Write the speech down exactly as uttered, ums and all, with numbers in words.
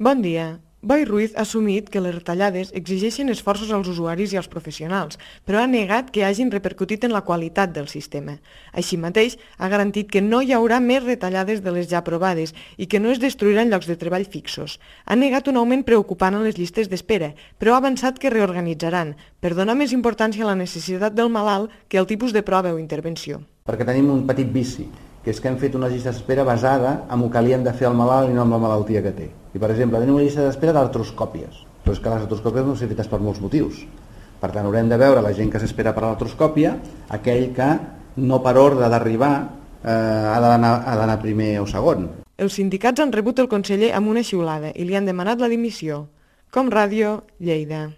Bon dia. Boi Ruiz ha assumit que les retallades exigeixen esforços als usuaris i als professionals, però ha negat que hagin repercutit en la qualitat del sistema. Així mateix, ha garantit que no hi haurà més retallades de les ja aprovades i que no es destruiran llocs de treball fixos. Ha negat un augment preocupant en les llistes d'espera, però ha avançat que reorganitzaran, per donar més importància a la necessitat del malalt que al tipus de prova o intervenció. Perquè tenim un petit vici, que és que hem fet una llista d'espera basada en el que li hem de fer al malalt i no en la malaltia que té. I, per exemple, tenim una llista d'espera d'artroscòpies, però és que les artroscòpies no són fetes per molts motius. Per tant, haurem de veure la gent que s'espera per l'artroscòpia, aquell que no per ordre d'arribar eh, ha d'anar primer o segon. Els sindicats han rebut el conseller amb una xiulada i li han demanat la dimissió. Com Ràdio, Lleida.